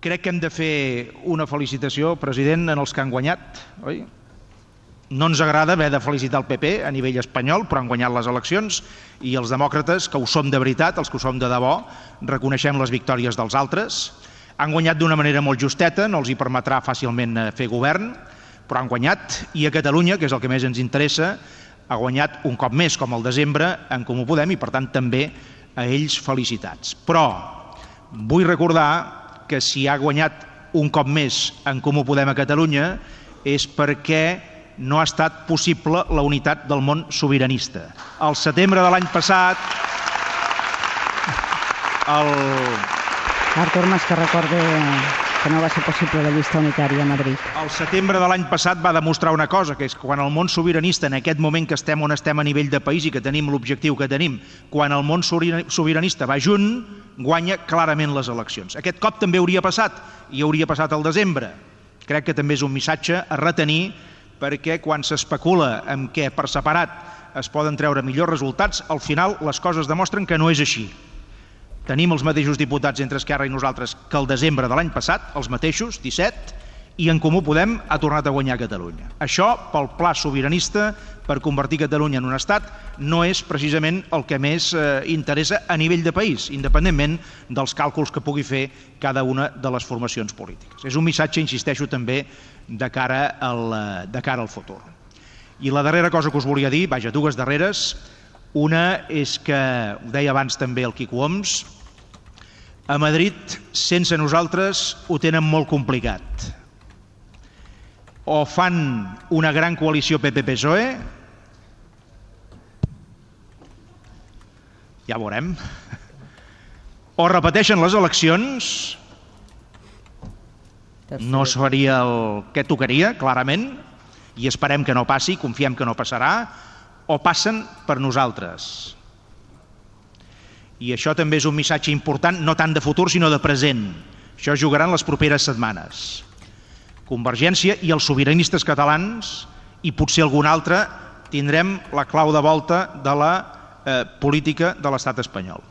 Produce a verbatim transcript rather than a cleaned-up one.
Crec que hem de fer una felicitació, president, en els que han guanyat, oi? No ens agrada haver de felicitar el P P a nivell espanyol, però han guanyat les eleccions, i els demòcrates, que ho som de veritat, els que ho som de debò, reconeixem les victòries dels altres. Han guanyat d'una manera molt justeta, no els hi permetrà fàcilment fer govern, però han guanyat, i a Catalunya, que és el que més ens interessa, ha guanyat un cop més, com al desembre, en Comú Podem, i per tant també a ells felicitats. Però vull recordar que si ha guanyat un cop més en Comú Podem a Catalunya és perquè no ha estat possible la unitat del món sobiranista. Al setembre de l'any passat, el... Artur Mas, que recorde que no va ser possible la llista unitària a Madrid. El setembre de l'any passat va demostrar una cosa, que és que quan el món sobiranista, en aquest moment que estem on estem a nivell de país i que tenim l'objectiu que tenim, quan el món sobiranista va junt, guanya clarament les eleccions. Aquest cop també hauria passat, i hauria passat al desembre. Crec que també és un missatge a retenir, perquè quan s'especula en què per separat es poden treure millors resultats, al final les coses demostren que no és així. Tenim els mateixos diputats entre Esquerra i nosaltres que el desembre de l'any passat, els mateixos, disset, i en Comú Podem ha tornat a guanyar Catalunya. Això, pel pla sobiranista, per convertir Catalunya en un estat, no és precisament el que més eh, interessa a nivell de país, independentment dels càlculs que pugui fer cada una de les formacions polítiques. És un missatge, insisteixo, també de cara al, de cara al futur. I la darrera cosa que us volia dir, vaja, dues darreres, una és que, ho deia abans també el Quico Homs, a Madrid, sense nosaltres, ho tenen molt complicat. O fan una gran coalició P P P S O E, ja veurem, o repeteixen les eleccions, no seria el que tocaria, clarament, i esperem que no passi, confiem que no passarà, o passen per nosaltres. I això també és un missatge important, no tant de futur, sinó de present. Això es jugarà en les properes setmanes. Convergència i els sobiranistes catalans, i potser algun altre, tindrem la clau de volta de la eh, política de l'estat espanyol.